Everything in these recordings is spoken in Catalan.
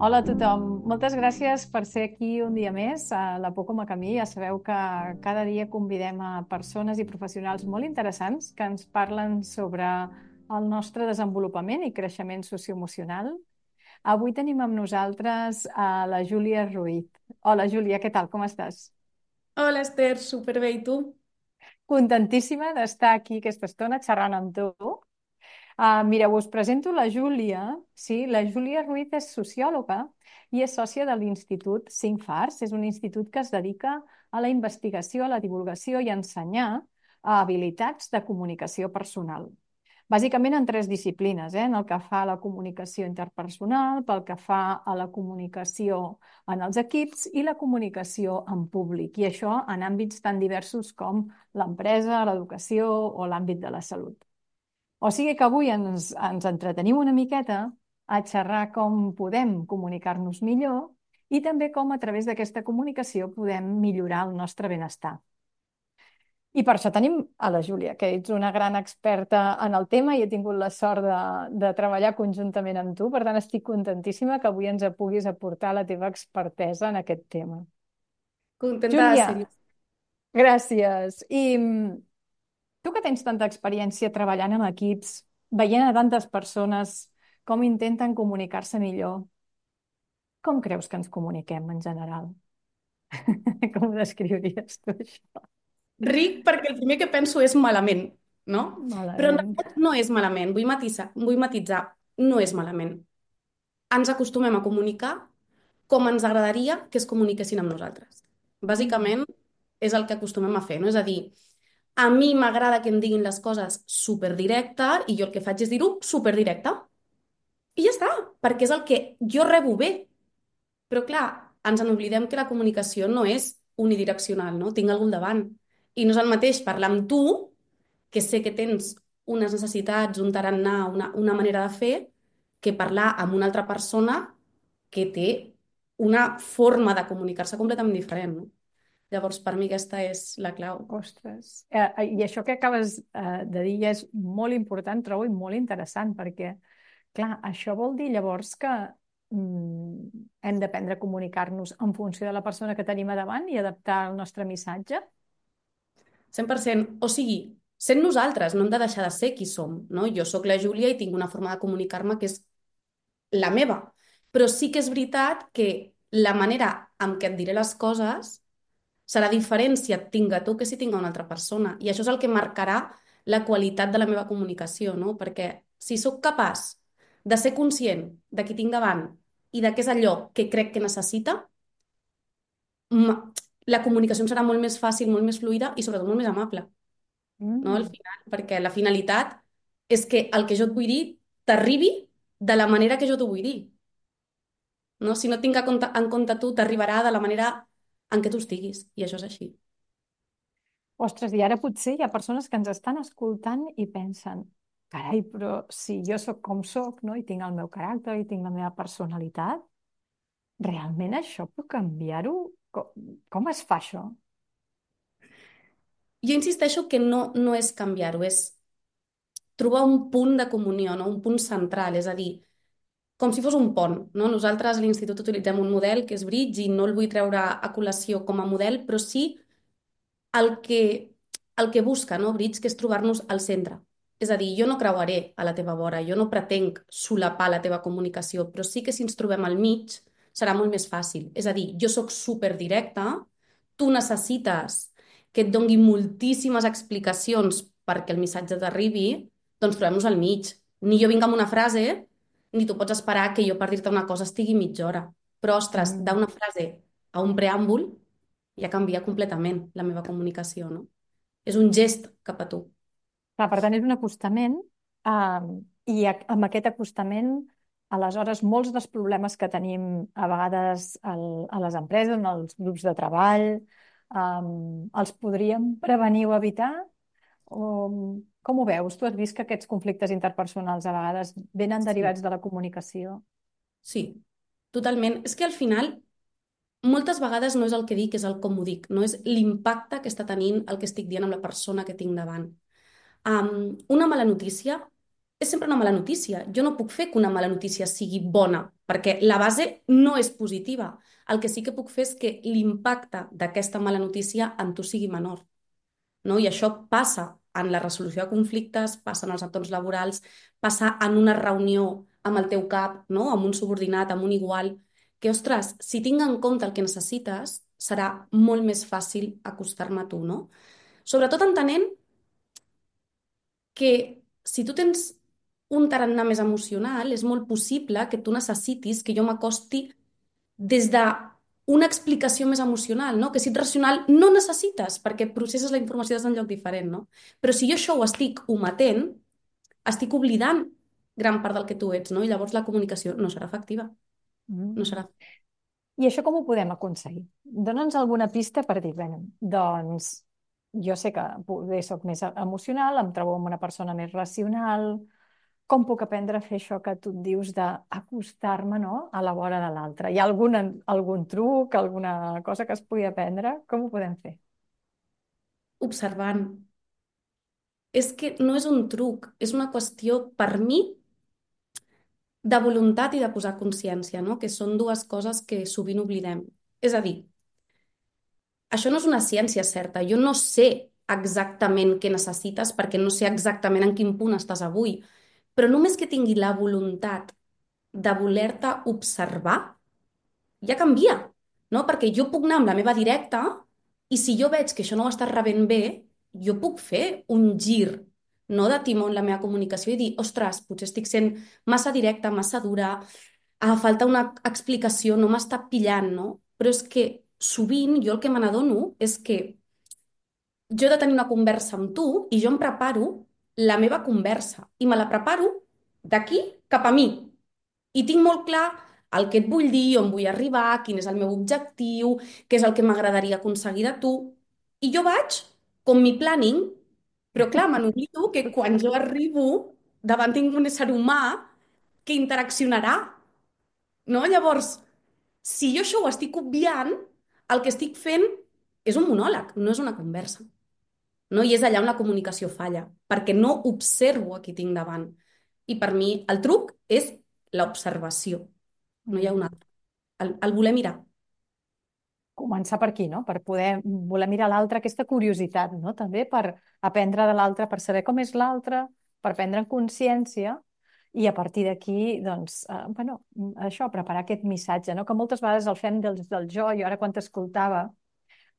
Hola a tothom, moltes gràcies per ser aquí un dia més a la Por com a camí. Ja sabeu que cada dia convidem a persones i professionals molt interessants que ens parlen sobre el nostre desenvolupament i creixement socioemocional. Avui tenim amb nosaltres a la Júlia Ruiz. Hola Júlia, què tal? Com estàs? Hola Esther, superbé, i tu? Contentíssima d'estar aquí aquesta estona xerrant amb tu. Mireu, us presento la Júlia. Sí, la Júlia Ruiz és sociòloga i és sòcia de l'Institut 5 Fars. És un institut que es dedica a la investigació, a la divulgació i a ensenyar habilitats de comunicació personal. Bàsicament en tres disciplines, en el que fa a la comunicació interpersonal, pel que fa a la comunicació en els equips i la comunicació en públic. I això en àmbits tan diversos com l'empresa, l'educació o l'àmbit de la salut. O sigui que avui ens entretenim una miqueta a xerrar com podem comunicar-nos millor i també com a través d'aquesta comunicació podem millorar el nostre benestar. I per això tenim a la Júlia, que ets una gran experta en el tema i he tingut la sort de treballar conjuntament amb tu. Per tant, estic contentíssima que avui ens puguis aportar la teva expertesa en aquest tema. Contenta de Júlia, ser-hi. gràcies. Tu que tens tanta experiència treballant amb equips, veient a tantes persones com intenten comunicar-se millor, com creus que ens comuniquem en general? Com ho descriuries tu, això? Ric perquè el primer que penso és malament, no? Però en Malament. realitat no és malament, vull matisar, no és malament. Ens acostumem a comunicar com ens agradaria que es comuniquessin amb nosaltres. Mm. Bàsicament és el que acostumem a fer, no? És a dir, a mi m'agrada que em diguin les coses superdirecte i jo el que faig és dir-ho superdirecte. I ja està, perquè és el que jo rebo bé. Però clar, ens n'oblidem que la comunicació no és unidireccional, no? Tinc algú al davant. I no és el mateix parlar amb tu, que sé que tens unes necessitats, un tarannà, una manera de fer, que parlar amb una altra persona que té una forma de comunicar-se completament diferent, no? Llavors, per mi aquesta és la clau. Ostres. I això que acabes de dir ja és molt important, trobo, i molt interessant, perquè, clar, això vol dir llavors que hem d'aprendre a comunicar-nos en funció de la persona que tenim a davant i adaptar el nostre missatge. 100%. O sigui, sent nosaltres, no hem de deixar de ser qui som, no? Jo sóc la Júlia i tinc una forma de comunicar-me que és la meva. Però sí que és veritat que la manera en què et diré les coses serà diferent si et tinc a tu que si tinc a una altra persona. I això és el que marcarà la qualitat de la meva comunicació, no? Perquè si sóc capaç de ser conscient de qui tinc davant i de què és allò que crec que necessita, m- la comunicació em serà molt més fàcil, molt més fluida i sobretot molt més amable, no? Al Mm. final, perquè la finalitat és que el que jo et vull dir t'arribi de la manera que jo t'ho vull dir. No? Si no tinc en compte tu, t'arribarà de la manera en què tu estiguis. I això és així. Ostres, i ara potser hi ha persones que ens estan escoltant i pensen, carai, però si jo sóc com sóc, no? I tinc el meu caràcter i tinc la meva personalitat, realment això puc canviar-ho? Com es fa això? Jo insisteixo que no és canviar-ho, és trobar un punt de comunió, no? Un punt central, és a dir, com si fos un pont. No? Nosaltres a l'institut utilitzem un model que és Bridge i no el vull treure a col·lació com a model, però sí el que, el que busca, no, Bridge, que és trobar-nos al centre. És a dir, jo no creuaré a la teva vora, jo no pretenc solapar la teva comunicació, però sí que si ens trobem al mig serà molt més fàcil. És a dir, jo sóc superdirecta, tu necessites que et dongui moltíssimes explicacions perquè el missatge t'arribi, doncs trobem-nos al mig. Ni jo vinc amb una frase, ni tu pots esperar que jo per dir-te una cosa estigui mitja hora. Però, ostres, Mm. d'una frase a un preàmbul ja canvia completament la meva comunicació, no? És un gest cap a tu. Clar, per tant, és un acostament i amb aquest acostament, aleshores, molts dels problemes que tenim a vegades a les empreses, en els grups de treball, els podríem prevenir o evitar? O, com ho veus? Tu has vist que aquests conflictes interpersonals a vegades venen Sí, derivats de la comunicació? sí, totalment. És que al final, moltes vegades no és el que dic, és el com ho dic, no és l'impacte que està tenint el que estic dient amb la persona que tinc davant. Una mala notícia és sempre una mala notícia. Jo no puc fer que una mala notícia sigui bona, perquè la base no és positiva. El que sí que puc fer és que l'impacte d'aquesta mala notícia en tu sigui menor, no? I això passa en la resolució de conflictes, passa en els entorns laborals, passa en una reunió amb el teu cap, no? Amb un subordinat, amb un igual, que, ostres, si tinc en compte el que necessites, serà molt més fàcil acostar-me a tu, no? Sobretot entenent que si tu tens un tarannà més emocional, és molt possible que tu necessitis que jo m'acosti des de una explicació més emocional, no? Que si ets racional no necessites, perquè processes la informació des d'un lloc diferent, no? Però si jo això ho estic ometent, estic oblidant gran part del que tu ets, no? I llavors la comunicació no serà efectiva, no Mm. serà. I això com ho podem aconseguir? Dóna'ns alguna pista per dir, bé, doncs jo sé que poder soc més emocional, em trobo amb una persona més racional, com puc aprendre a fer això que tu et dius d'acostar-me, no?, a la vora de l'altre? Hi ha algun truc, alguna cosa que es pugui aprendre? Com ho podem fer? Observant. És que no és un truc, és una qüestió, per mi, de voluntat i de posar consciència, no? Que són dues coses que sovint oblidem. És a dir, això no és una ciència certa. Jo no sé exactament què necessites perquè no sé exactament en quin punt estàs avui, però només que tingui la voluntat de voler-te observar, ja canvia, no? Perquè jo puc anar amb la meva directa i si jo veig que això no ho estàs rebent bé, jo puc fer un gir, no de timó en la meva comunicació i dir, ostres, potser estic sent massa directa, massa dura, falta una explicació, no m'està pillant, no? Però és que sovint jo el que me n'adono és que jo he de tenir una conversa amb tu i jo em preparo la meva conversa i me la preparo d'aquí cap a mi. I tinc molt clar el que et vull dir, on vull arribar, quin és el meu objectiu, què és el que m'agradaria aconseguir de tu. I jo vaig com mi planning, però clar, me n'oblido que quan jo arribo davant tinc un ésser humà que interaccionarà, no? Llavors, si jo això ho estic obviant, el que estic fent és un monòleg, no és una conversa. No? I és allà on la comunicació falla, perquè no observo a qui tinc davant. I per mi el truc és l'observació, no hi ha un Mm. altre. El voler mirar. Començar per aquí, no? Per poder voler mirar l'altre, aquesta curiositat, no? També per aprendre de l'altre, per saber com és l'altre, per prendre consciència i a partir d'aquí, doncs, bueno, això, preparar aquest missatge, no? Que moltes vegades el fem del jo. Jo ara quan t'escoltava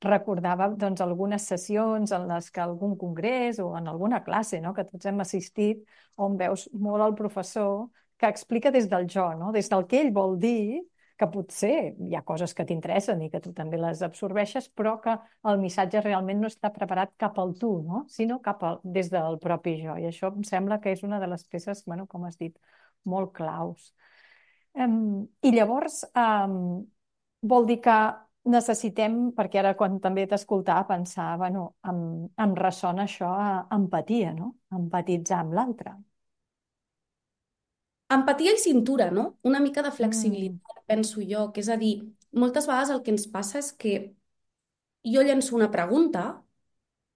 recordava doncs, algunes sessions en les que algun congrés o en alguna classe, no?, que tots hem assistit, on veus molt el professor que explica des del jo, no?, des del que ell vol dir, que potser hi ha coses que t'interessen i que tu també les absorbeixes, però que el missatge realment no està preparat cap al tu, no?, sinó des del propi jo. I això em sembla que és una de les peces, bueno, com has dit, molt claus. I llavors, vol dir que necessitem, perquè ara quan també t'escoltava pensar, bueno, em ressona això a empatia, no? Empatitzar amb l'altre. Empatia i cintura, no? Una mica de Mm. flexibilitat, penso jo, que és a dir, moltes vegades el que ens passa és que jo llenço una pregunta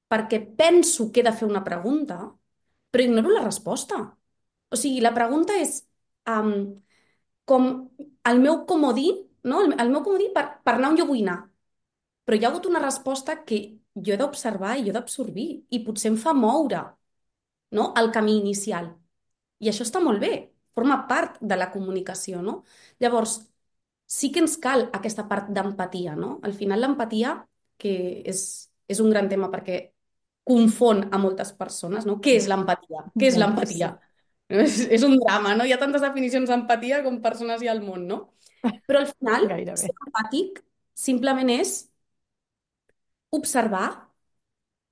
perquè penso que he de fer una pregunta, però ignoro la resposta. O sigui, la pregunta és um, com el meu comodí, no? El meu comodí per anar on jo vull anar. Però hi ha hagut una resposta que jo he d'observar i jo he d'absorbir i potser em fa moure, no? El camí inicial. I això està molt bé, forma part de la comunicació, no? Llavors, sí que ens cal aquesta part d'empatia, no? Al final l'empatia, que és un gran tema perquè confon a moltes persones, no? Què és l'empatia? Què és l'empatia? Moltíssim, És un drama, no? Hi ha tantes definicions d'empatia com persones hi ha al món, no? Però al final, ser gairebé. empàtic simplement és observar,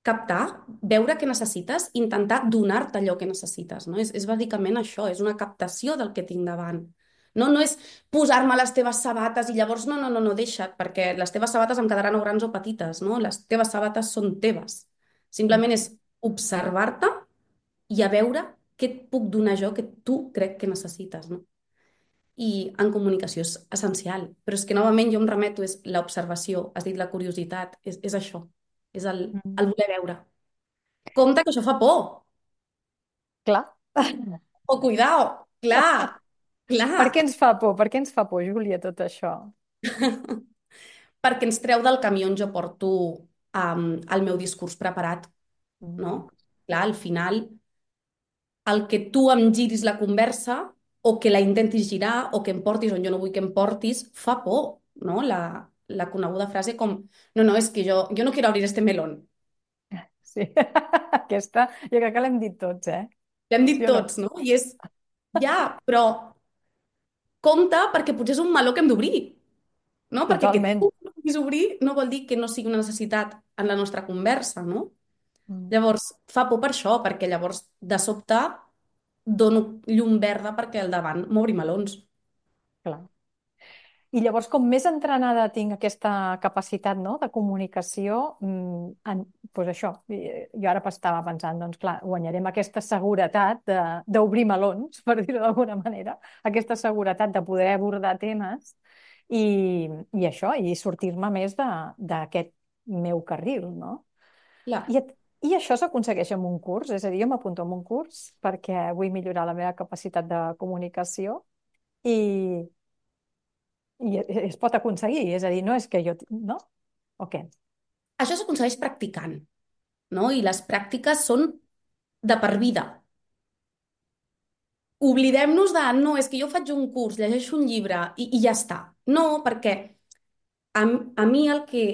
captar, veure què necessites, intentar donar-te allò que necessites, no? És bàsicament això, és una captació del que tinc davant. No, no és posar-me les teves sabates i llavors no, deixa't, perquè les teves sabates em quedaran o grans o petites, no? Les teves sabates són teves. Simplement és observar-te i a veure què et puc donar jo que tu crec que necessites, no? I en comunicació és essencial, però és que novament jo em remeto, és l'observació, has dit la curiositat, és això, és Mm. el voler veure. Compte que això fa por. Clar. O cuidao, clar, Per què clar, ens fa por? Per què ens fa por, Júlia, tot això? perquè ens treu del camí on jo porto el meu discurs preparat, no? Mm, Clar, al final, el que tu em giris la conversa o que la intentis girar o que em portis on jo no vull que em portis, fa por, no? La coneguda frase com, no, no, és que jo no quiero abrir este melón. sí, aquesta jo crec que l'hem dit tots, eh? L'hem dit Sí o no? tots, no? I és, ja, però compte perquè potser és un meló que hem d'obrir, no? Perquè que Totalment. tu no puguis obrir no vol dir que no sigui una necessitat en la nostra conversa, no? Mm, Llavors, fa por per això, perquè llavors, de sobte, dono llum verda perquè al davant m'obri melons. clar. I llavors, com més entrenada tinc aquesta capacitat, no, de comunicació, doncs això, jo ara estava pensant, doncs clar, guanyarem aquesta seguretat d'obrir melons, per dir-ho d'alguna manera, aquesta seguretat de poder abordar temes i això, i sortir-me més d'aquest meu carril, no? Clar. I, I això s'aconsegueix amb un curs, és a dir, jo m'apunto en un curs perquè vull millorar la meva capacitat de comunicació i, es pot aconseguir, és a dir, no és que jo... No? O què? Això s'aconsegueix practicant, no? I les pràctiques són de per vida. Oblidem-nos de, no, és que jo faig un curs, llegeixo un llibre i ja està. No, perquè a mi el que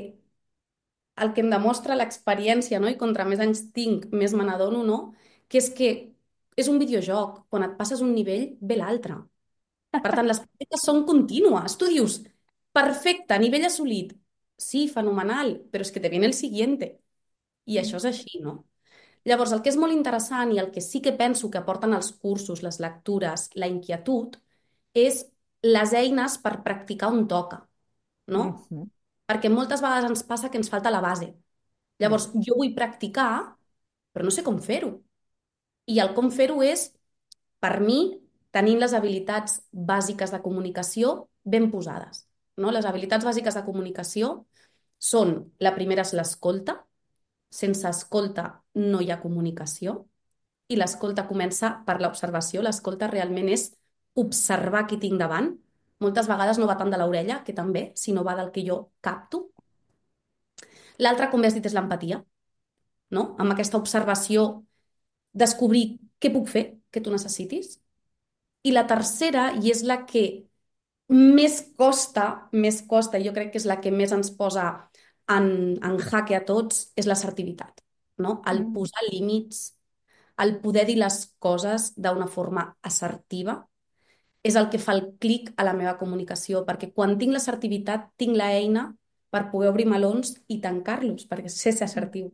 em demostra l'experiència, no? I contra més anys tinc, més me n'adono, no? Que és un videojoc. Quan et passes un nivell, ve l'altre. Per tant, les pràctiques són contínues. Tu dius, perfecte, nivell assolit. Sí, fenomenal, però és que te viene el siguiente. I això és així, no? Llavors, el que és molt interessant i el que sí que penso que aporten els cursos, les lectures, la inquietud, és les eines per practicar on toca, no? Mhm. Perquè moltes vegades ens passa que ens falta la base. Mm. Llavors, jo vull practicar, però no sé com fer-ho. I el com fer-ho és, per mi, tenint les habilitats bàsiques de comunicació ben posades. No? Les habilitats bàsiques de comunicació són, la primera és l'escolta, sense escolta no hi ha comunicació, i l'escolta comença per l'observació. L'escolta realment és observar qui tinc davant. Moltes vegades no va tant de l'orella, que també, sinó va del que jo capto. L'altra, com bé has dit, és l'empatia, no? Amb aquesta observació, descobrir què puc fer que tu necessitis. I la tercera, i és la que més costa, i jo crec que és la que més ens posa en jaque a tots, és l'assertivitat, no? El Mm. posar límits, el poder dir les coses d'una forma assertiva, és el que fa el clic a la meva comunicació, perquè quan tinc l'assertivitat tinc l'eina per poder obrir melons i tancar-los, perquè sé ser Mm. assertiu.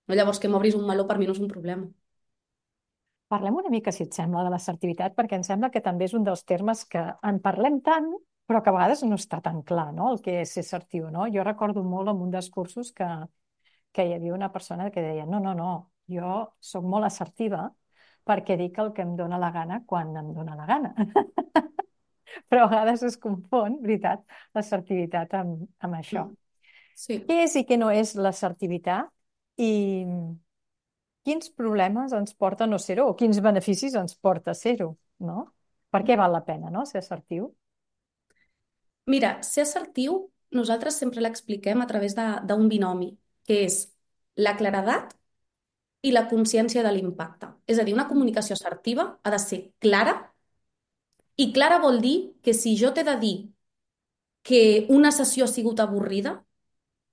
No? Llavors, que m'obris un meló per mi no és un problema. Parlem una mica, si et sembla, de l'assertivitat, perquè em sembla que també és un dels termes que en parlem tant, però que a vegades no està tan clar, no?, el que és ser assertiu, no? Jo recordo molt en un dels cursos que hi havia una persona que deia no, no, no, jo sóc molt assertiva perquè dic el que em dóna la gana quan em dóna la gana. Però a vegades es confon, veritat, l'assertivitat amb això. Mm. Sí. Què és i què no és l'assertivitat i quins problemes ens porta no ser-ho o quins beneficis ens porta ser-ho, no? Per què val la pena, no?, ser assertiu? Mira, ser assertiu, nosaltres sempre l'expliquem a través d'un binomi, que és la claredat i la consciència de l'impacte. És a dir, una comunicació assertiva ha de ser clara, i clara vol dir que si jo t'he de dir que una sessió ha sigut avorrida,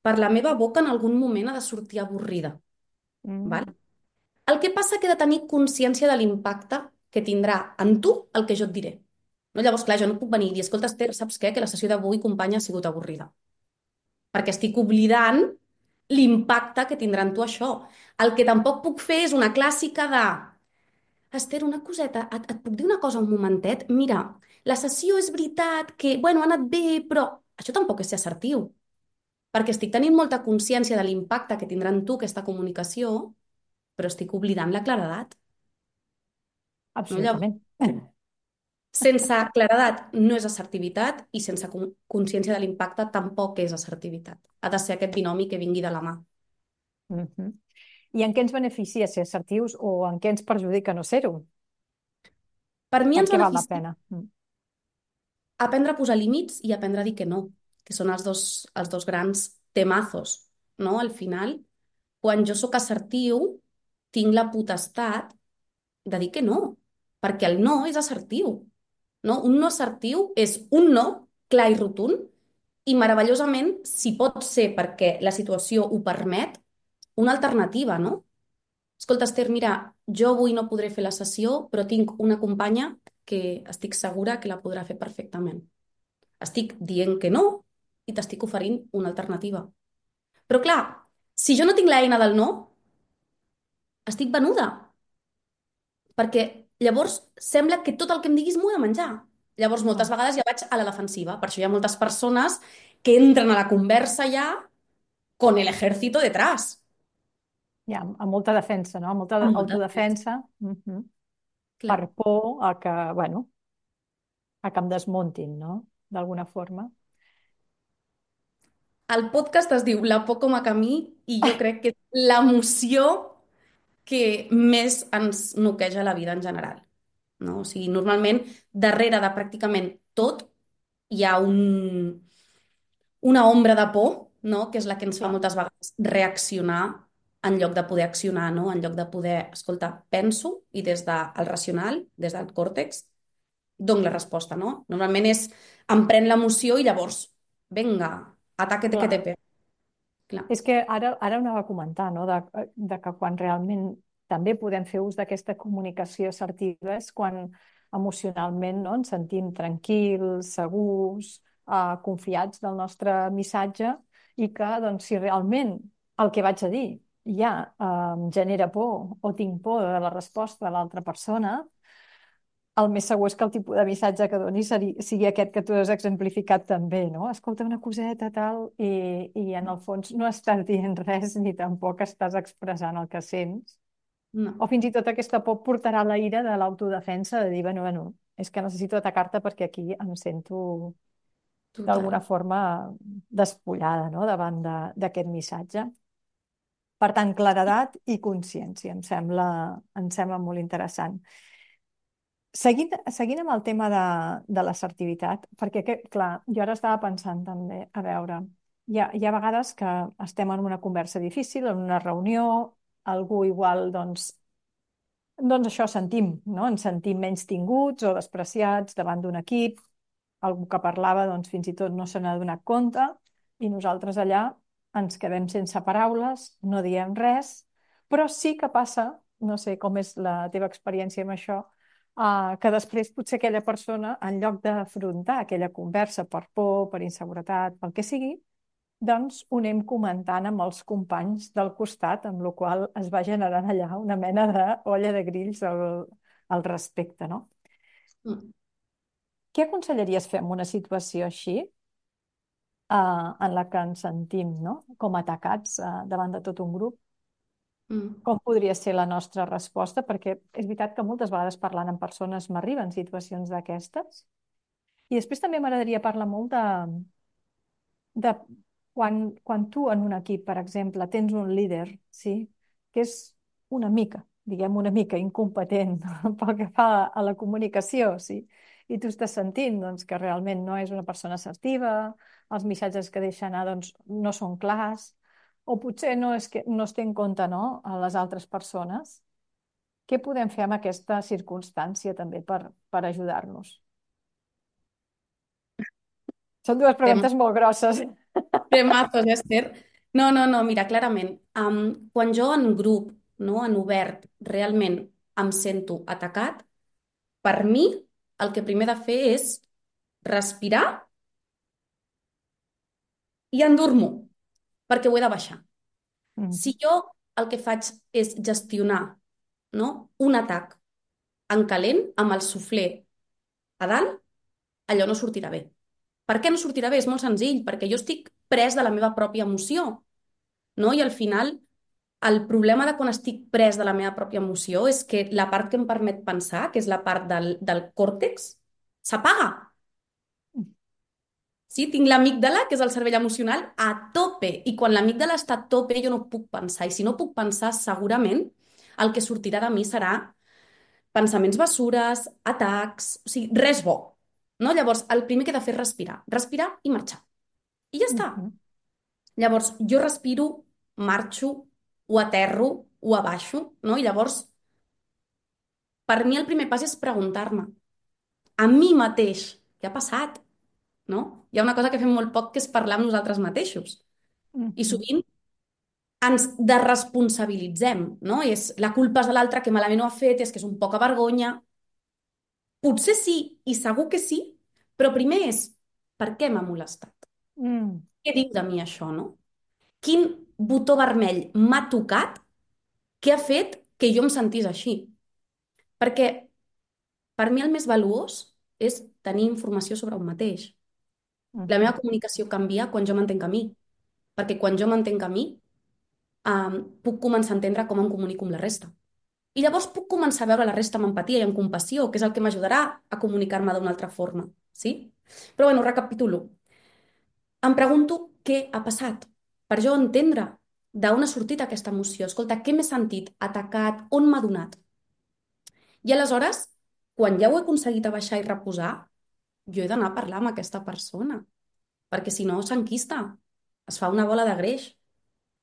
per la meva boca en algun moment ha de sortir avorrida. Val? Mm, El que passa que he de tenir consciència de l'impacte que tindrà en tu el que jo et diré. No? Llavors, clar, jo no puc venir i dir, escolta, Esther, saps què? Que la sessió d'avui, companya, ha sigut avorrida. Perquè estic oblidant l'impacte que tindrà en tu això. El que tampoc puc fer és una clàssica de Esther, una coseta, et puc dir una cosa un momentet? Mira, la sessió és veritat que, bueno, ha anat bé, però això tampoc és ser assertiu, perquè estic tenint molta consciència de l'impacte que tindrà en tu aquesta comunicació, però estic oblidant la claredat. No? Llavors, absolutament. sense claredat no és assertivitat i sense consciència de l'impacte tampoc és assertivitat. Ha de ser aquest binomi que vingui de la mà. Mhm. I en què ens beneficia ser assertius o en què ens perjudica no ser-ho? Per mi Per ens què val la beneficia pena? aprendre a posar límits i aprendre a dir que no, que són els dos grans temazos, no? Al final, quan jo sóc assertiu, tinc la potestat de dir que no, perquè el no és assertiu, no? Un no assertiu és un no clar i rotund i meravellosament, si pot ser perquè la situació ho permet, una alternativa, no? Escolta, Esther, mira, jo avui no podré fer la sessió, però tinc una companya que estic segura que la podrà fer perfectament. Estic dient que no i t'estic oferint una alternativa. Però clar, si jo no tinc l'eina del no, estic venuda, perquè llavors sembla que tot el que em diguis m'ho he de menjar. Llavors moltes Mm. vegades ja vaig a la defensiva. Per això hi ha moltes persones que entren a la conversa ja con el ejército detrás. Ja, amb molta defensa, no? Amb molta Amb molta defensa. autodefensa, Clar. per por a que, bueno, a que em desmuntin, no? D'alguna forma. El podcast es diu La por com a camí i jo crec que és l'emoció que més ens noqueja la vida en general. No? O sigui, normalment, darrere de pràcticament tot hi ha una ombra de por, no? Que és la que ens fa Clar, moltes vegades reaccionar en lloc de poder accionar, no? En lloc de poder, escolta, penso i des del racional, des del còrtex, dono la resposta, no? Normalment és em pren l'emoció i llavors, vinga, ataque que te clar. pego. Clar. És que ara ho anava a comentar, no? De que quan realment també podem fer ús d'aquesta comunicació assertiva és quan emocionalment, no? Ens sentim tranquils, segurs, confiats del nostre missatge i que, doncs, si realment el que vaig a dir ja em genera por o tinc por de la resposta de l'altra persona, el més segur és que el tipus de missatge que doni sigui aquest que tu has exemplificat també, no? Escolta una coseta, tal, i en el fons no estàs dient res ni tampoc estàs expressant el que sents. O No, fins i tot aquesta por portarà la ira de l'autodefensa de dir, bueno, és que necessito atacar-te perquè aquí em sento d'alguna total. forma despullada, no? Davant d'aquest missatge. Per tant, claredat i consciència, em sembla molt interessant. Seguint amb el tema de l'assertivitat, perquè, clar, jo ara estava pensant també, a veure, hi ha vegades que estem en una conversa difícil, en una reunió, algú igual, doncs això sentim, no? Ens sentim menys tinguts o despreciats davant d'un equip, algú que parlava, doncs fins i tot no se n'ha donat compte, i nosaltres allà ens quedem sense paraules, no diem res, però sí que passa, no sé com és la teva experiència amb això, que després potser aquella persona, en lloc d'afrontar aquella conversa per por, per inseguretat, pel que sigui, doncs ho anem comentant amb els companys del costat, amb la qual es va generant allà una mena d'olla de grills al respecte, no? Mm, Què aconsellaries fer en una situació així, en la que ens sentim, no? Com atacats, davant de tot un grup? mm, Com podria ser la nostra resposta? Perquè és veritat que moltes vegades parlant amb persones m'arriben situacions d'aquestes. I després també m'agradaria parlar molt de quan tu en un equip, per exemple, tens un líder, sí, que és una mica, diguem una mica incompetent pel que fa a la comunicació, sí, i tu estàs sentint doncs, que realment no és una persona assertiva, els missatges que deixa anar doncs, no són clars, o potser no és que no es té en compte, no, a les altres persones. Què podem fer amb aquesta circumstància també per ajudar-nos? Són dues Tem- preguntes molt grosses. Temazos, Esther. No, no, no, mira, clarament, quan jo en grup, no, en obert, realment em sento atacat, per mi el que primer he de fer és respirar i endur-m'ho, perquè ho he de baixar. Si Mm. jo el que faig és gestionar, no, un atac en calent amb el suflé a dalt, allò no sortirà bé. Per què no sortirà bé? És molt senzill, perquè jo estic pres de la meva pròpia emoció, no? I al final, el problema de quan estic pres de la meva pròpia emoció és que la part que em permet pensar, que és la part del còrtex, s'apaga. Sí, tinc l'amígdala, que és el cervell emocional, a tope. I quan l'amígdala està a tope, jo no puc pensar. I si no puc pensar, segurament el que sortirà de mi serà pensaments bessures, atacs, o sigui, res bo. No? Llavors, el primer que he de fer és respirar. Respirar i marxar. I ja està. Mhm. Llavors, jo respiro, marxo, ho aterro, ho abaixo, no? I llavors, per mi el primer pas és preguntar-me a mi mateix què ha passat, no? Hi ha una cosa que fem molt poc que és parlar amb nosaltres mateixos. I Mhm. sovint ens desresponsabilitzem, no? És la culpa és de l'altre, que malament ho ha fet, és que és un poca vergonya. Potser sí, i segur que sí, però primer és per què m'ha molestat? Mm. Què diu de mi això, no? Quin botó vermell m'ha tocat que ha fet que jo em sentís així? Perquè per mi el més valuós és tenir informació sobre un mateix. La meva Mhm. comunicació canvia quan jo m'entenc a mi, perquè quan jo m'entenc a mi, puc començar a entendre com em comunico amb la resta. I llavors puc començar a veure la resta amb empatia i amb compassió, que és el que m'ajudarà a comunicar-me d'una altra forma. Sí? Però bueno, recapitulo. Em pregunto què ha passat per jo entendre d'on ha sortit aquesta emoció. Escolta, què m'he sentit atacat? On m'ha donat? I aleshores, quan ja ho he aconseguit abaixar i reposar, jo he d'anar a parlar amb aquesta persona, perquè si no s'enquista, es fa una bola de greix.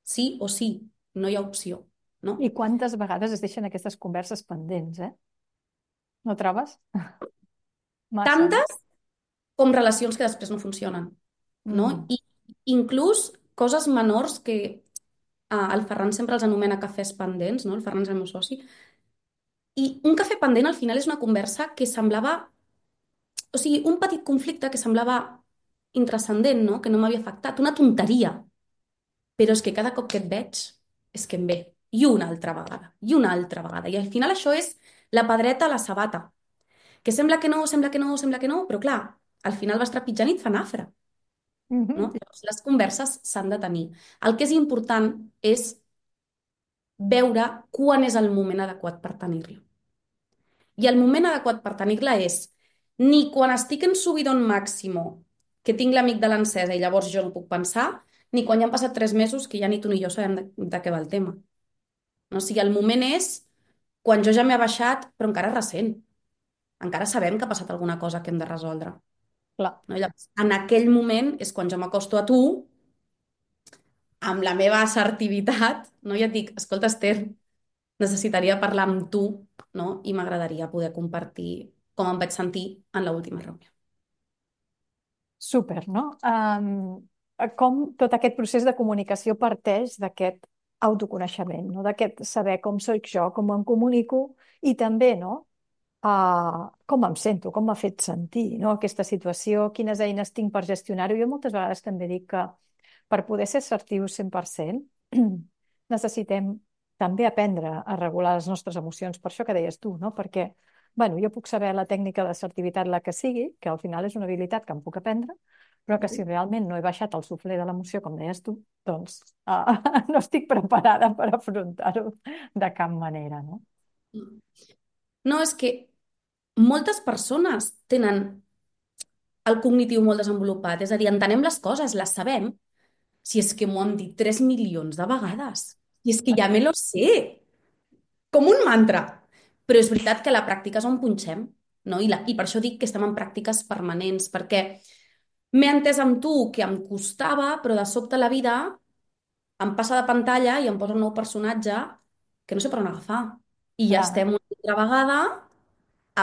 Sí o sí, no hi ha opció, no? I quantes vegades es deixen aquestes converses pendents, eh? No trobes? Massa, no? Tantes com relacions que després no funcionen, no? Mm. I inclús coses menors que el Ferran sempre els anomena cafès pendents, no? El Ferran és el meu soci. I un cafè pendent al final és una conversa que semblava, o sigui, un petit conflicte que semblava intrascendent, no? Que no m'havia afectat, una tonteria. Però és que cada cop que et veig és que em ve. I una altra vegada, i una altra vegada. I al final això és la pedreta a la sabata. Que sembla que no, sembla que no, sembla que no, però clar, al final vas trepitjant i et fa nafra, no? Mhm. Llavors, les converses s'han de tenir. El que és important és veure quan és el moment adequat per tenir-la. I el moment adequat per tenir-la és ni quan estic en subidon màximo, que tinc l'amic de l'encesa i llavors jo no puc pensar, ni quan ja han passat 3 mesos que ja ni tu ni jo sabem de què va el tema. No? O sigui, el moment és quan jo ja m'he baixat, però encara és recent. Encara sabem que ha passat alguna cosa que hem de resoldre. Clar. No? Llavors, en aquell moment és quan jo m'acosto a tu amb la meva assertivitat, no? I et dic, escolta, Esther, necessitaria parlar amb tu, no? I m'agradaria poder compartir com em vaig sentir en l'última reunió. Súper, no? Com tot aquest procés de comunicació parteix d'aquest autoconeixement, no? D'aquest saber com soc jo, com em comunico i també, no? Com em sento, com m'ha fet sentir, no? Aquesta situació, quines eines tinc per gestionar-ho. Jo moltes vegades també dic que per poder ser assertius 100%, necessitem també aprendre a regular les nostres emocions, per això que deies tu, no? Perquè, bueno, jo puc saber la tècnica d'assertivitat la que sigui, que al final és una habilitat que em puc aprendre, però que si realment no he baixat el suflé de l'emoció, com deies tu, doncs no estic preparada per afrontar-ho de cap manera, no? No, és que moltes persones tenen el cognitiu molt desenvolupat, és a dir, entenem les coses, les sabem. Si és que m'ho han dit 3 milions de vegades. I és que ja me lo sé, com un mantra. Però és veritat que la pràctica és on punxem, no? I per això dic que estem en pràctiques permanents, perquè m'he entès amb tu que em costava, però de sobte la vida em passa de pantalla i em posa un nou personatge que no sé per on agafar. I ja Clar. estem una altra vegada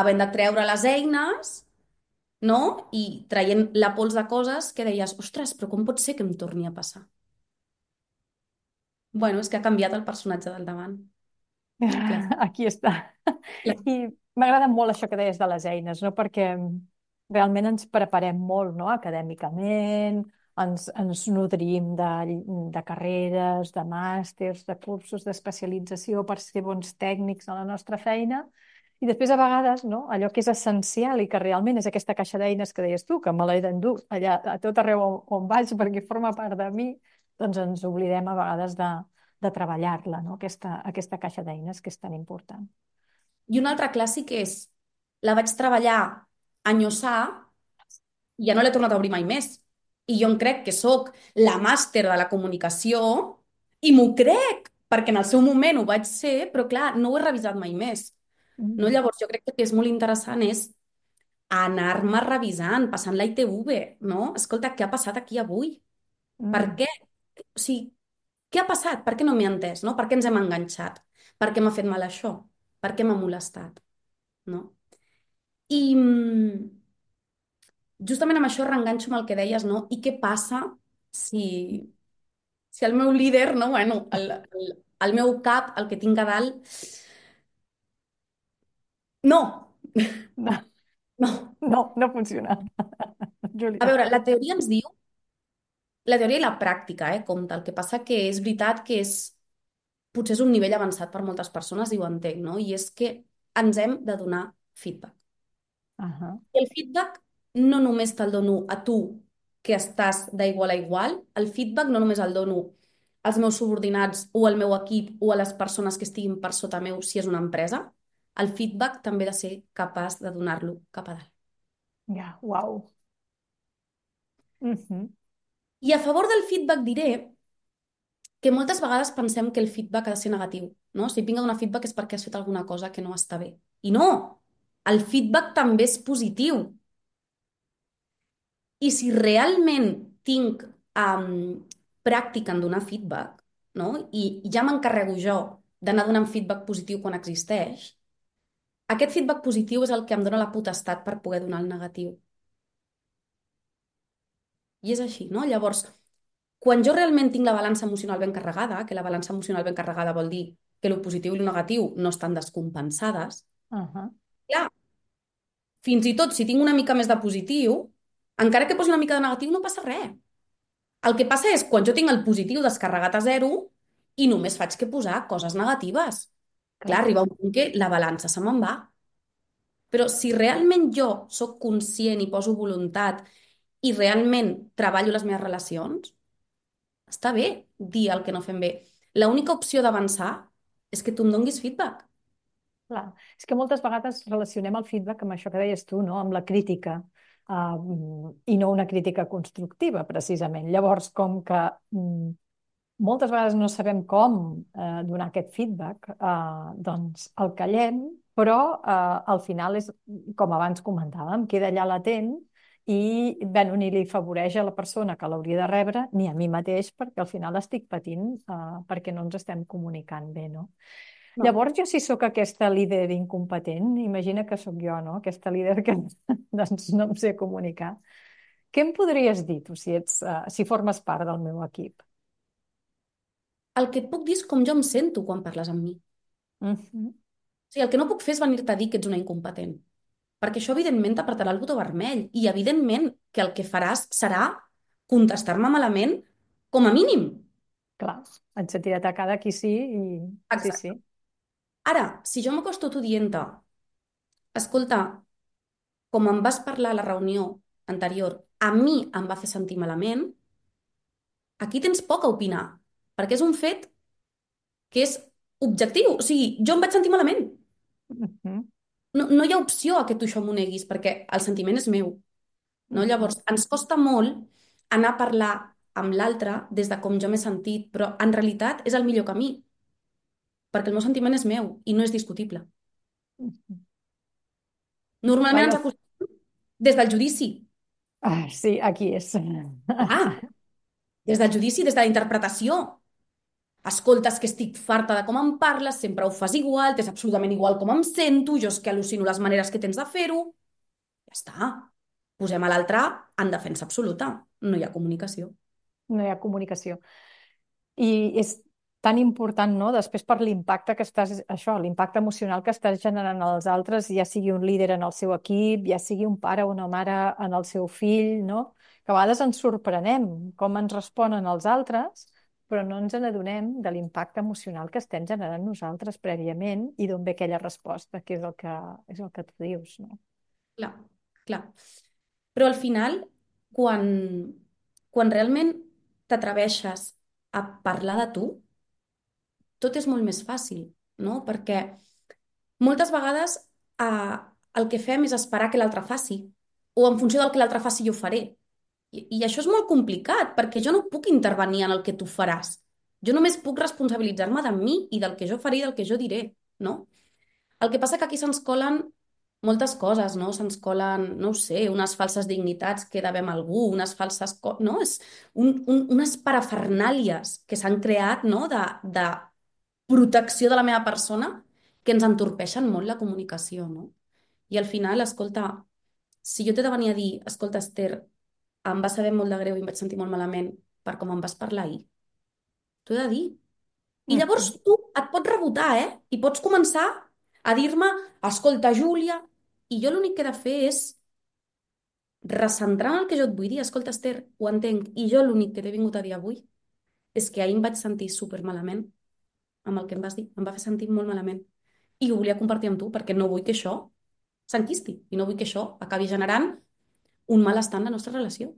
havent de treure les eines, no? I traient la pols de coses que deies, ostres, però com pot ser que em torni a passar? Bueno, és que ha canviat el personatge del davant. Clar, Aquí està. clar. I m'agrada molt això que deies de les eines, no? Perquè realment ens preparem molt, no? Acadèmicament, ens nodrim de carreres, de màsters, de cursos d'especialització per ser bons tècnics en la nostra feina. I després, a vegades, no? Allò que és essencial i que realment és aquesta caixa d'eines que deies tu, que me l'he d'endur allà a tot arreu on vaig perquè forma part de mi, doncs ens oblidem a vegades de treballar-la, no? Aquesta caixa d'eines que és tan important. I un altre clàssic és, la vaig treballar a enyossar i ja no l'he tornat a obrir mai més. I jo em crec que sóc la màster de la comunicació i m'ho crec, perquè en el seu moment ho vaig ser, però clar, no ho he revisat mai més. No? Mm. Llavors, jo crec que el que és molt interessant és anar-me revisant, passant la ITV, no? Escolta, què ha passat aquí avui? Per Mm. què? O sigui, què ha passat? Per què no m'he entès? No? Per què ens hem enganxat? Per què m'ha fet mal això? Per què m'ha molestat? No? I justament amb això reenganxo amb el que deies, no? I què passa si, si el meu líder, no? Bueno, el meu cap, el que tinc a dalt, no, No, no. no, no funciona, A Júlia. veure, la teoria ens diu, la teoria i la pràctica, compta. El que passa que és veritat que potser és un nivell avançat per moltes persones i ho entenc, no? I és que ens hem de donar feedback. Ahà. I el feedback no només te'l dono a tu, que estàs d'igual a igual, el feedback no només el dono als meus subordinats o al meu equip o a les persones que estiguin per sota meu si és una empresa, el feedback també he de ser capaç de donar-lo cap a dalt. Ja, uau. Mhm. I a favor del feedback diré que moltes vegades pensem que el feedback ha de ser negatiu, no? Si et vinc a donar feedback és perquè has fet alguna cosa que no està bé. I no! El feedback també és positiu. I si realment tinc pràctica en donar feedback, no? I ja m'encarrego jo d'anar donant feedback positiu quan existeix, aquest feedback positiu és el que em dona la potestat per poder donar el negatiu. I és així, no? Llavors, quan jo realment tinc la balança emocional ben carregada, que la balança emocional ben carregada vol dir que el positiu i el negatiu no estan descompensades, Ahà. clar, fins i tot si tinc una mica més de positiu, encara que posi una mica de negatiu, no passa res. El que passa és quan jo tinc el positiu descarregat a zero i només faig que posar coses negatives. Clar, Clar, arriba un punt que la balança se me'n va. Però si realment jo sóc conscient i poso voluntat i realment treballo les meves relacions, està bé dir el que no fem bé. L'única opció d'avançar és que tu em donguis feedback. clar. És que moltes vegades relacionem el feedback amb això que deies tu, no? Amb la crítica, i no una crítica constructiva, precisament. Llavors, com que moltes vegades no sabem com donar aquest feedback, doncs el callem, però al final és, com abans comentàvem, queda allà latent i bueno, ni li afavoreix a la persona que l'hauria de rebre ni a mi mateix perquè al final estic patint perquè no ens estem comunicant bé, no? No. Llavors jo si sóc aquesta líder incompetent, imagina que sóc jo, no? Aquesta líder que doncs, no em sé comunicar. Què em podries dir tu si formes part del meu equip? El que et puc dir és com jo em sento quan parles amb mi. Mhm. O sigui, el que no puc fer és venir-te a dir que ets una incompetent. Perquè això, evidentment, t'apretarà el botó vermell. I, evidentment, que el que faràs serà contestar-me malament com a mínim. Clar, et sentirà atacada aquí sí i... Sí, sí. Exacte. Ara, si jo m'acosto a tu dient-te, escolta, com em vas parlar a la reunió anterior, a mi em va fer sentir malament, aquí tens poc a opinar, perquè és un fet que és objectiu. O sigui, jo em vaig sentir malament. Mhm, No, no hi ha opció a que tu això m'ho neguis, perquè el sentiment és meu. No? mhm, Llavors, ens costa molt anar a parlar amb l'altre des de com jo m'he sentit, però en realitat és el millor camí, perquè el meu sentiment és meu i no és discutible. mhm. Normalment Bueno, ens acostumem des del judici. sí, aquí és. Ah, des del judici, des de la interpretació. Escoltes que estic farta de com em parles, sempre ho fas igual, t'és absolutament igual com em sento, jo és que al·lucino les maneres que tens de fer-ho. Ja està. Posem a l'altre en defensa absoluta. No hi ha comunicació. No hi ha comunicació. I és tan important, no? Després per l'impacte que estàs, això, l'impacte emocional que estàs generant als altres, ja sigui un líder en el seu equip, ja sigui un pare o una mare en el seu fill, no? Que a vegades ens sorprenem com ens responen els altres, però no ens n'adonem de l'impacte emocional que estem generant nosaltres prèviament i d'on ve aquella resposta, que és el que tu dius, no? Clar, clar. Però al final, quan, quan realment t'atreveixes a parlar de tu, tot és molt més fàcil, no? Perquè moltes vegades el que fem és esperar que l'altre faci, o en funció del que l'altre faci jo faré. I això és molt complicat, perquè jo no puc intervenir en el que tu faràs. Jo només puc responsabilitzar-me de mi i del que jo faré i del que jo diré, no? El que passa que aquí se'ns colen moltes coses, no? Se'ns colen, no ho sé, unes falses dignitats que devem a algú, unes falses... No? És unes parafernàlies que s'han creat, no? De protecció de la meva persona que ens entorpeixen molt la comunicació, no? I al final, escolta, si jo t'he de venir a dir, escolta, Esther, em va saber molt de greu i em vaig sentir molt malament per com em vas parlar ahir, t'ho he de dir. I llavors Mhm. tu et pots rebotar, eh? I pots començar a dir-me, escolta, Júlia, i jo l'únic que he de fer és recentrar en el que jo et vull dir. Escolta, Esther, ho entenc. I jo l'únic que t'he vingut a dir avui és que ahir em vaig sentir super malament amb el que em vas dir. Em va fer sentir molt malament. I ho volia compartir amb tu perquè no vull que això s'enquisti i no vull que això acabi generant un malestar en la nostra relació.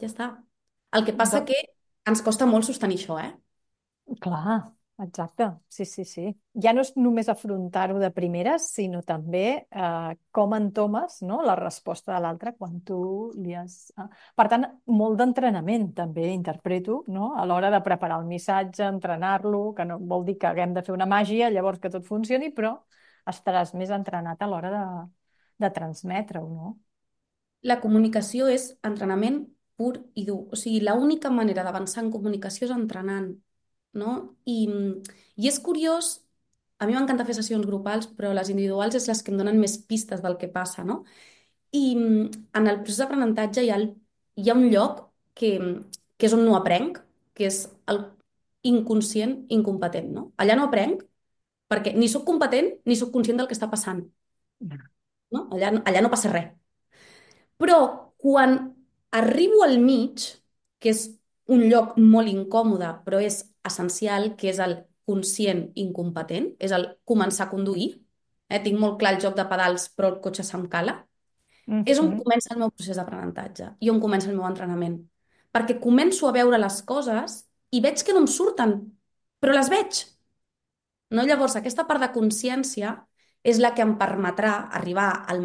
Ja està. El que passa Do- que ens costa molt sostenir això, eh? Clar, exacte. Sí, sí, sí. Ja no és només afrontar-ho de primeres, sinó també com entomes, no, la resposta de l'altre quan tu li has... Per tant, molt d'entrenament també interpreto, no? A l'hora de preparar el missatge, entrenar-lo, que no vol dir que haguem de fer una màgia, llavors que tot funcioni, però estaràs més entrenat a l'hora de transmetre-ho, no? La comunicació és entrenament pur i dur. O sigui, l'única manera d'avançar en comunicació és entrenant, no? I és curiós, a mi m'encanta fer sessions grupals, però les individuals és les que em donen més pistes del que passa, no? En el procés d'aprenentatge hi ha un lloc que és on no aprenc, que és el inconscient incompetent, no? Allà no aprenc perquè ni sóc competent ni sóc conscient del que està passant, no? Allà no passa res. Però quan arribo al mig, que és un lloc molt incòmode, però és essencial, que és el conscient incompetent, és el començar a conduir, tinc molt clar el joc de pedals, però el cotxe se'm cala, és on Mhm. comença el meu procés d'aprenentatge i on comença el meu entrenament. Perquè començo a veure les coses i veig que no em surten, però les veig. No? Llavors, aquesta part de consciència és la que em permetrà arribar al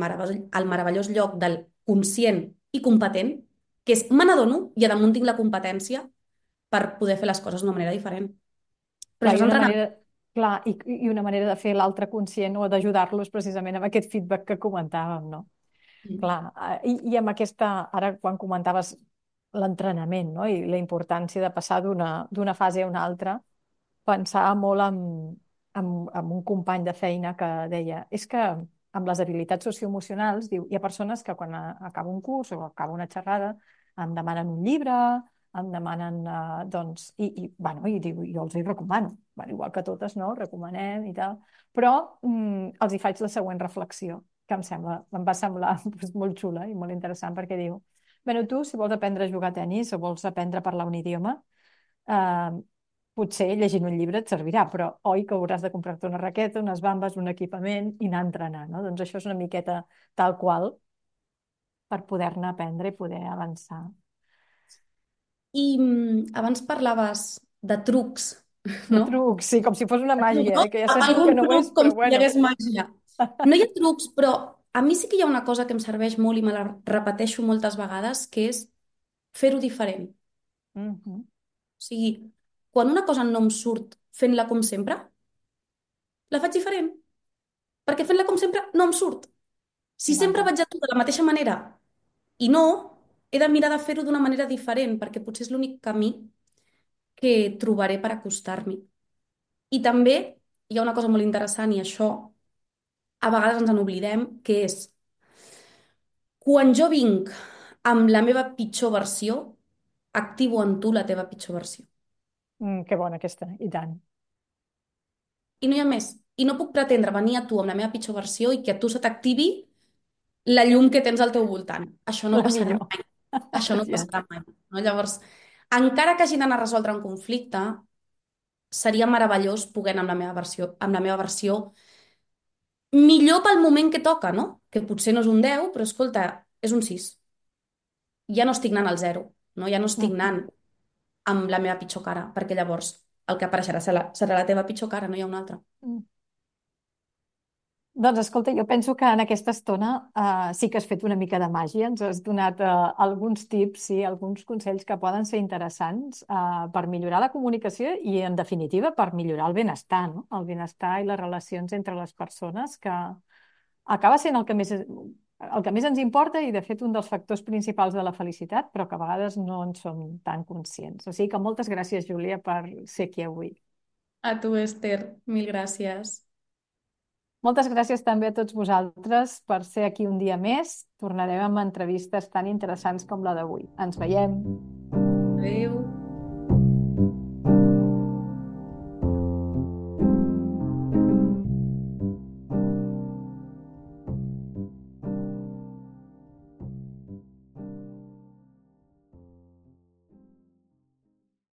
meravellós lloc del conscient i competent, que és me n'adono i a damunt tinc la competència per poder fer les coses d'una manera diferent. Però Clar, això és entrenament. clar, i una manera de fer l'altre conscient o d'ajudar-los precisament amb aquest feedback que comentàvem, no? Clar, i amb aquesta, ara quan comentaves l'entrenament, no? I la importància de passar d'una fase a una altra, pensava molt en un company de feina que deia, és que amb les habilitats socioemocionals, diu, hi ha persones que quan acaba un curs o acaba una xerrada em demanen un llibre, em demanen, doncs, bueno, i diu, jo els hi recomano, bueno, igual que totes, no? Recomanem i tal, però els hi faig la següent reflexió, que em va semblar doncs, molt xula i molt interessant perquè diu, bueno, tu, si vols aprendre a jugar a tennis o vols aprendre a parlar un idioma, eh, potser llegint un llibre et servirà, però oi que hauràs de comprar-te una raqueta, unes bambes, un equipament i anar a entrenar, no? Doncs això és una miqueta tal qual per poder-ne aprendre i poder avançar. Abans parlaves de trucs, De no? trucs, sí, com si fos una Truc, màgia, no? que ja sabem que Algun no ho és, truc com però si hi bueno. hagués màgia. No hi ha trucs, però a mi sí que hi ha una cosa que em serveix molt i me la repeteixo moltes vegades, que és fer-ho diferent. Mhm. O sigui, quan una cosa no em surt fent-la com sempre, la faig diferent, perquè fent-la com sempre no em surt. Si sempre Vaja. vaig actuar de la mateixa manera i no, he de mirar de fer-ho d'una manera diferent, perquè potser és l'únic camí que trobaré per acostar-m'hi. I també hi ha una cosa molt interessant, i això a vegades ens en oblidem, que és quan jo vinc amb la meva pitjor versió, activo en tu la teva pitjor versió. Que bona aquesta, i tant. I no hi ha més. I no puc pretendre venir a tu amb la meva pitjor versió i que a tu se t'activi la llum que tens al teu voltant. Això no La passarà millor. mai. Això no Ja. passarà mai. No? Llavors, encara que hagi d'anar a resoldre un conflicte, seria meravellós poder anar amb la meva versió millor pel moment que toca, no? Que potser no és un 10, però escolta, és un 6. Ja no estic anant al 0, no? Ja no estic Mhm. anant amb la meva pitjor cara, perquè llavors el que apareixerà serà la teva pitjor cara, no hi ha una altra. Mm. Doncs escolta, jo penso que en aquesta estona sí que has fet una mica de màgia, ens has donat alguns tips, sí, alguns consells que poden ser interessants per millorar la comunicació i, en definitiva, per millorar el benestar, no? El benestar i les relacions entre les persones, que acaba sent el que més ens importa i, de fet, un dels factors principals de la felicitat, però que a vegades no en som tan conscients. O sigui que moltes gràcies, Júlia, per ser aquí avui. A tu, Esther, mil gràcies. Moltes gràcies també a tots vosaltres per ser aquí un dia més. Tornarem amb entrevistes tan interessants com la d'avui. Ens veiem. Adéu.